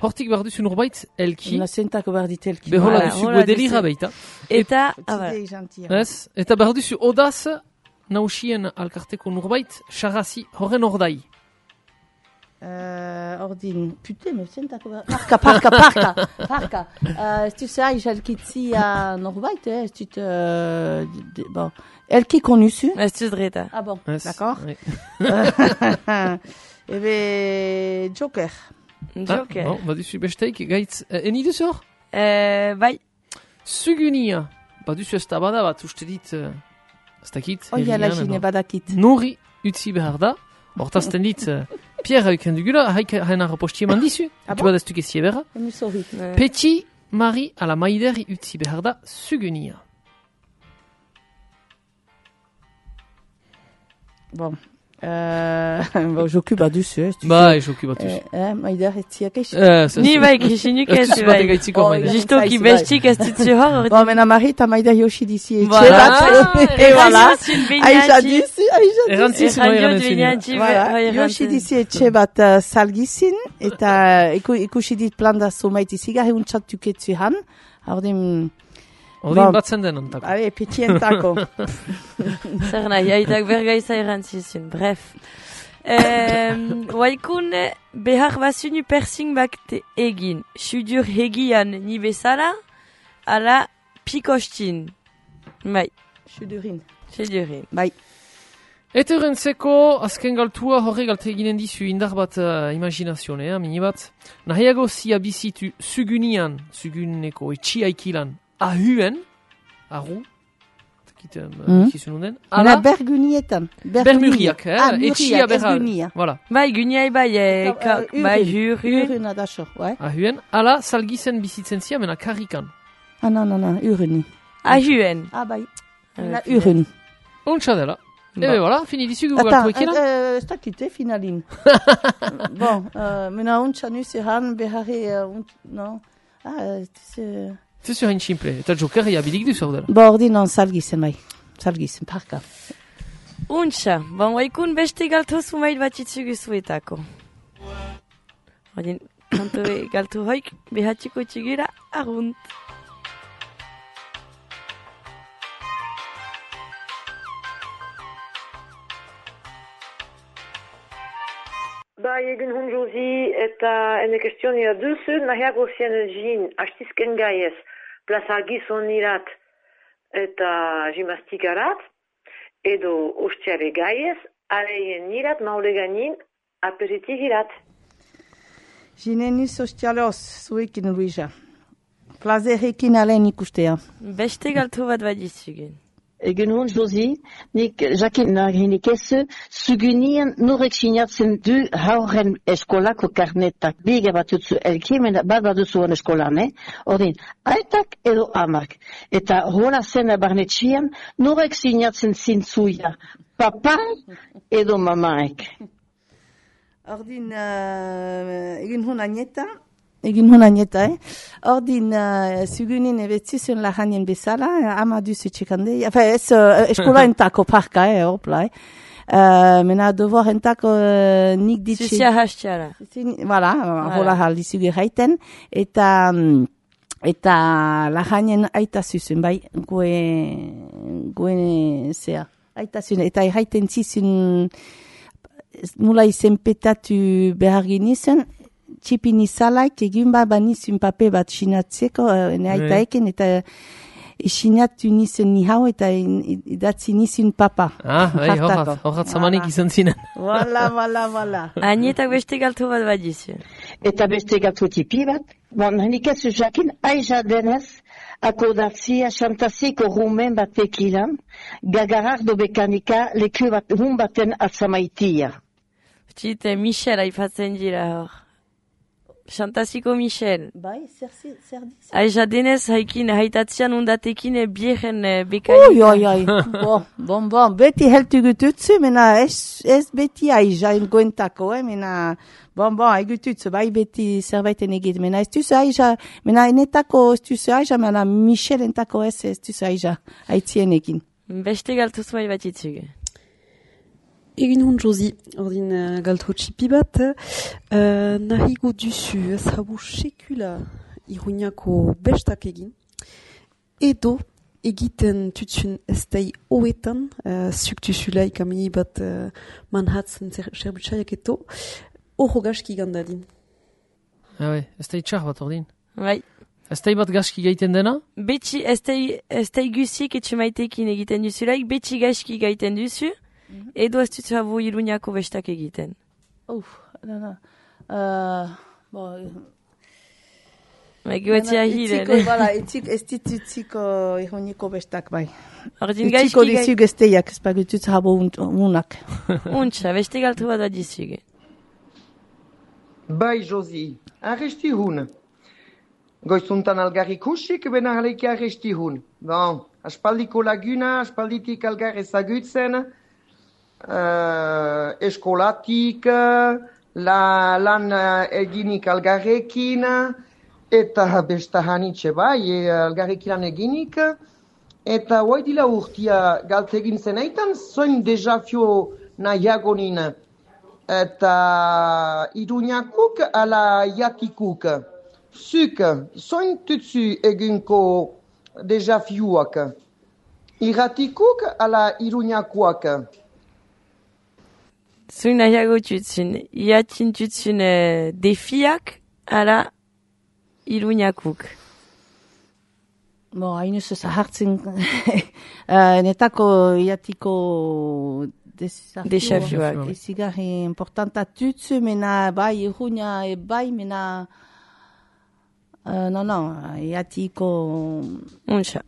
hortik behar duzu nurbait elki, La zentako behar dit elki. behola Voilà, duzu hola guedelira duzu. baita. Eta, ah, bai. Zide jantia. Ez? Eta behar duzu odaz, nausien alkarteko nurbait, xarrazi horren ordai. Uh, ordin, pute, me zentako behar... Parka, parka, parka, parka. Uh, ez du zai, jalkitzia norbait, eh? Ez dut... Uh, de- bon. Elki konuzu. Ez dut dreta. Ah bon, Ez? d'accord. Oui. Ebe, Joker. Joker. Ah, bon, baduzu besteik, gaitz, eh, eni duzu hor? Eh, bai, Sugunia, baduzu ez da bada bat, uste dit, eh, ez dakit, Oia la herrian, jine edo. badakit. Nuri utzi behar da, hortazten dit, eh, Pierre hauken dugula, haik hain arraposti eman dizu, Ah tu bon? badaztu gezie berra. Emu sorri. eh, Petit Mari ala maideri utzi behar da, Sugunia. Bon. Uh, bon, joku baduzu, eh? ez du- Ba, esoku batuz. Eh, eh, maider etziak eix. Eh, ça, ni c'est- bai, krisinuk Ez ez duzu bai. batek gaitziko Oh, maideri. ja. Justo ki Zaiz, bai. bestik ez ditzu hor. Bon, mena marita maider yoshi dizi etxe Voilà. bat. Et voilà. Aïcha Aïcha dizi, Aïcha dizi. Errantziz, moi errantzun. Voilà, yoshi dizi etxe bat uh, salgizin, eta iku, ikusi dit planda zomait izigarri untsatuket zuhan. Ordin, Ordin Bon. batzen den antako. ale, petientako. Zer nahi, aitak bergaiza erantzizun, bref. Eh, Waikun behar bazunu persing bakte egin. Sudur hegian ni bezala, ala pikostin. Bai, Sudurin. sudurin. Bai. Eta horrentzeko, azken galtua horre galte eginen dizu indar bat uh, imaginazionea, mini bat. Nahiago zia bizitu sugunian, suguneko etxiaikilan, ahuen, ahu, takit, Mhm. ikizun den, Ala ala bergunietan. bermuriak, eh, Ah, etxia muriak, ez berra. gunia. Voilà, Bai, guniai bai, eh, ka, Uh, bai, urun. hurun. Urun adaxo, ouais. ahuen, ala salgizen bizitzen zia, mena karrikan. Ah, non, non, non, uruni. Ahuen. Ah, bai. Ah, La punaise. urun. Untsa dela. Bon. Ebe, voilà, fini dizu gu Attends, galtu ekila. euh, ez dakit, eh, finalin. Bon, euh, mena untsa nu zehan beharri, uh, unt, no? Ah, euh, c'est... Zezu hain simple, eta joker abilik duzu hau dela. Bo, ordi non, salgizen, bai. Salgizen, parka. Untxa, bon, waikun beste galto zumait bat itzugu zuetako. Ordin, kanto e- galto hoik behatxiko txigura argunt. Bai, egun hun Josi, eta ene kestionia duzu, nahiago zien jin, hastizken gaiez, plaza gizonirat eta gimnastikarat, edo ostiare gaiez, Aleien nirat maule gainin, aperitif irat. Gineni sozialoz, zuekin Luisa. Plazerekin alen ikustea. Beste galtu bat badizugen. Egun hon, Josi, nik jakin nahinik ez, zugunien norek sinatzen du hauren eskolako karnetak. Biga batutzu elkimen bat baduzuen eskolan, eh? Ordin, aitak edo amak. Eta hola zen barnetxian, norek sinatzen zintzuia. Papa edo mamaek. Ordin, uh, egin hon agneta, egin hon agneta, eh? Ordin, uh, zugunin ebetzizun lahanien bezala, ama duzu txekande, enfin, ez uh, eskola entako parka, eh, hopla, eh? Uh, mena devoir entako uh, nik ditxe... Zuzia hastiara. Voilà, hola haldizuge haiten, eta... Um, eta lahanien aita zuzun, bai, goe... goe zea. Aita zuzun, eta haiten zizun... Nula izenpetatu behar genizun, txipin izalaik egin ba banizun pape bat sinatzeko, ne aita eken, eta sinatu nizun ni hau, eta idatzi nizun papa. Ah, bai, horrat, horrat zamanik izan zinen. Wala, wala, wala. Anietak beste galtu bat badizu. Eta beste galtu tipi bat, bon, nik ez jakin, aiza denez, akordatzia xantaziko rumen batekilan, gagarardo bekanika leku bat, hun baten atzamaitia. Txite, Michel haipatzen dira hor. Xantaziko Michel. Bai, zer diz? Aiza denez haikin, haitatzean undatekin bieren bekanika. Ui, oi, oi, bon, bon, bon, beti heltu gututzu, mena ez, ez beti aiza goentako, eh, mena, bon, bon, haigututzu, bai beti zerbaiten egit, mena ez duzu aiza, mena enetako ez duzu aiza, mena Michel entako ez ez duzu aiza, haitzien egin. Beste galtuz bai bat itzuge. Egin hon, Josi, ordin uh, galtro txipi bat, uh, nahigo duzu ez habu sekula Iruñako bestak egin, edo egiten tutzun ez dai hoetan, uh, zuk duzulaik amini bat uh, manhatzen zerbutsaiak eto, horro gaski gandadin. Ah, bai, ez dai txar bat ordin. Bai. Ez dai bat gaski gaiten dena? Betxi, ez dai guzik etxemaitekin egiten duzulaik, betxi gaski gaiten duzu, edo ez dut habu Iruñako bestak egiten. Uf, no, no. Uh, bo... Meguetzia hiren. Bala, ez ditutziko Iruñako bestak, bai. Ordin gaizki gai... Etziko dizug esteiak, ez bagututz habu unak. Untxa, beste galtu bat adizuge. Bai, Josi, arresti hun. Goizuntan algarri kusik, bena haleki arresti hun. Bon, aspaldiko laguna, aspalditik algar ezagutzen, Uh, eskolatik, la, lan eginik algarrekin, eta besta hanitxe bai, algarrekin lan eginik, eta hoaidila urtia galtegin zenaitan, zoin dezafio nahiagonin, eta Iruñakuk ala jatikuk. Zuk, zoin tutsu eginko dezafioak, iratikuk ala Iruñakuak. Zuin nahiago tutzun, iatin tutzun uh, defiak ala Iruñakuk. Bo, hain ez zahartzen, uh, netako iatiko desafioak. Ezigarri importanta tutzu, mena bai Iruña e bai, mena uh, no, no, iatiko... Unxa,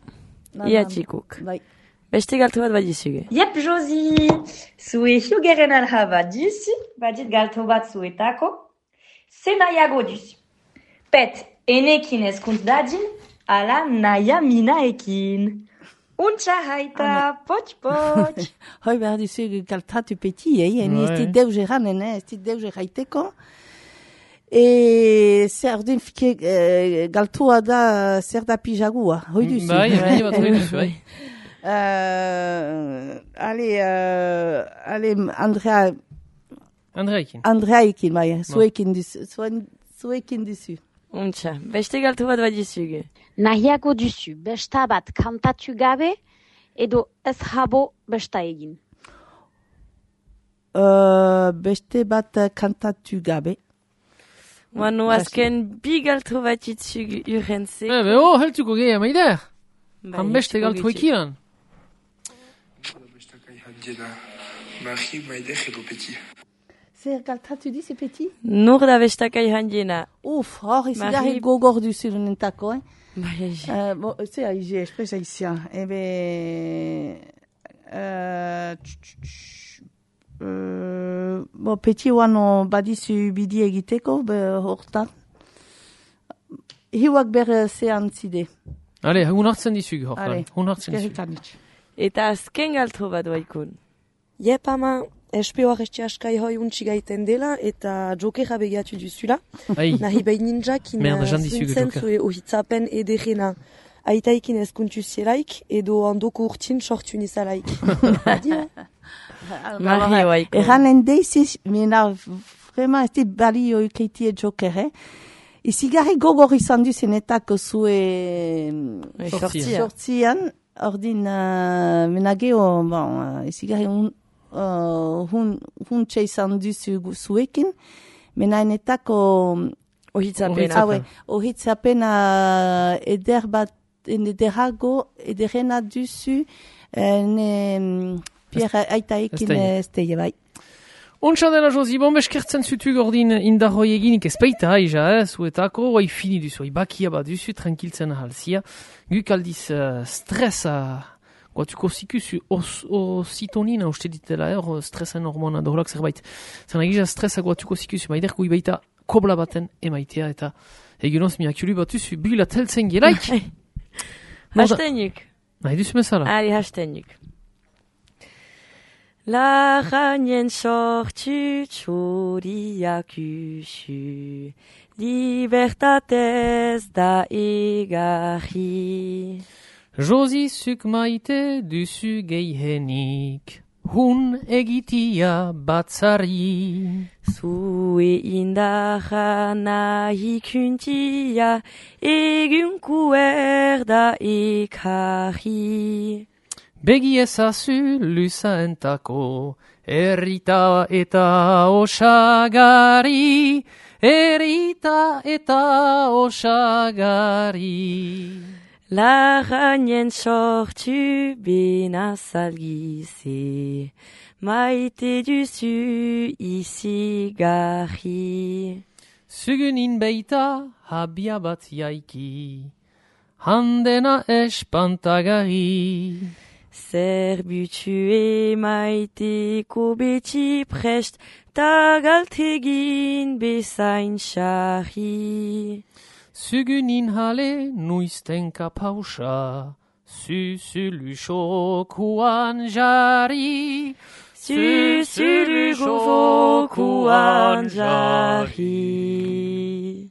iatikuk. Bai. Beste galtu bat badizuge. Yep, Josi! Zue hiugeren alha bat duzu, badit galtu bat zuetako, ze nahiago duzu. Pet, enekin ezkuntz dadin, ala naia minaekin. Untxa haita, potx, potx. Hoi behar duzu galtatu peti, eh? Eni ez dit deus eranen, eh? Ez dit deus eraiteko. E zer den fike galtua da zer da pijagua. Hoi duzu. Bai, bai, bat hoi duzu, bai. Uh, allez, uh, allez, Andrea. Andreaekin. Andreaekin, bai, zuekin duzu. Zuekin duzu. Untxa, beste galtu bat badizuge. Nahiago duzu, besta bat kantatu gabe, edo ez habo besta egin. Uh, beste bat kantatu gabe. Manu azken bi galtu bat itzugu urrentzeko. Eh, beho, heltuko gehiago maider. Han beste galtu ekiran. Marie Maïdech edo Peti. Zer galtatu dizi, Peti? Nur da bestakai handiena. Uf, hor, izigarri gogor duzu nentako, eh? Bai, egi. Uh, bo, ze haizi, espresa izia. Ebe... Uh, uh, bo, Peti oano badizu bidi egiteko, be, hortan. Hiuak ber ze antzide. Ale, hun hartzen dizug, hortan. Hun hartzen dizug. Eta azken galtro bat Waikun. Jep, ama, espeo arresti askai hoi untsi gaiten dela, eta jokera begiatu duzula. Nahi behin ninjakin zuntzen zue ohitzapen ederena. Aitaikin ezkuntu zielaik, edo handoko urtin sortu nizalaik. Mahi Waikun. Eran endeiziz, mena, vrema ez dit balio ukeitie jokere. Izigarri gogor izan duzenetako zue sortzian. Ordin, uh, menageo, bon, uh, izigarri un, uh, hun, hun txe izan duzu zuekin, menainetako ohitzapena. Ohitzapena eder bat, ederago, ederena duzu, ne Pierre Aitaekin esteie bai. Ontsa dela, Josi, bon beskertzen zutu gordin indarroi eginik ezpeita haija, eh, zuetako, oai fini duzu, oai bakia bat duzu, tranquiltzen ahalzia. Guk aldiz uh, stresa, guatuko zikusu, ositonina uste ditela, eh, stresen hormona doholak zerbait. Zena gisa stresa guatuko zikusu, maiderko ibaita kobla baten emaitea, eta eginoz miakulu bat duzu, bila teltzen gelaik. Hastenuk. Nahi duzu mesala? Ari, hastenuk. La ranien sortu txoriak usu, libertatez da egarri. Josi zuk maite duzu geihenik, hun egitia batzari. Zue indarra nahi kuntia, egunku erda ekarri. Begi ezazu luzaentako, errita eta osagari, errita eta osagari. Larrainen sortu benazalgize, maite duzu izigarri. Zugunin beita habia bat jaiki, handena espantagari. Zerbutu emaiteko beti prest, ta galtegin bezain xarri. Zugunin hale nuiztenka pausa, zuzulu xokuan jari. Zuzulu xokuan jari.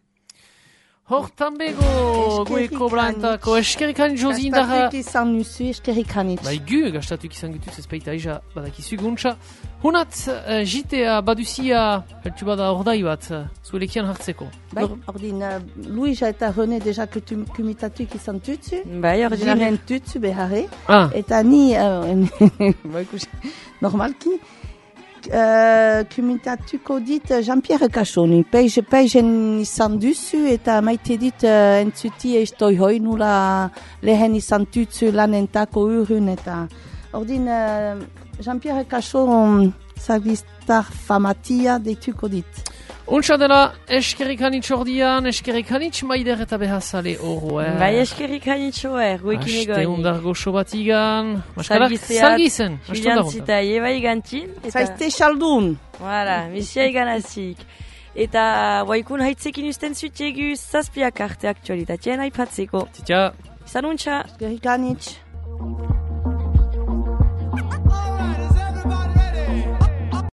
Hortan bego, goeko blantako, eskerrikan Josi indarra. Gastatuk izan nuzu, eskerrikanit. Bai gu, gastatuk izan gutuz ezpeita aija, badakizu guntza. Hunat, uh, jitea baduzia, heltu bada ordai bat, uh, zuelekian hartzeko. Bai, ordin, uh, Luisa eta René deja kumitatuk izan tutsu. Bai, ordin. Jiren tutsu beharre. Ah. Eta ni, uh, normalki, Uh, kumitatuko dit Jean-Pierre Cachoni. Peiz, peizen izan duzu eta maite dit uh, entzuti eistoi hoi nula lehen izan tutsu lanentako urun eta ordin uh, Jean-Pierre Cachon zagistar famatia deituko dit. Untsa dela, eskerrikanitz ordian, eskerrikanitz maider eta behazale oro, eh? Bai, eskerrikanitz oer, guekin egoin. Aste undar goxo batigan, maskarak salgizen. Filiantzita eba igantzin. Zaizte xaldun. Voilà, misia iganazik. Eta Waikun haitzekin usten zutiegu zazpiak arte aktualitatien aipatzeko. Titia. Izan untsa. Eskerrikanitz.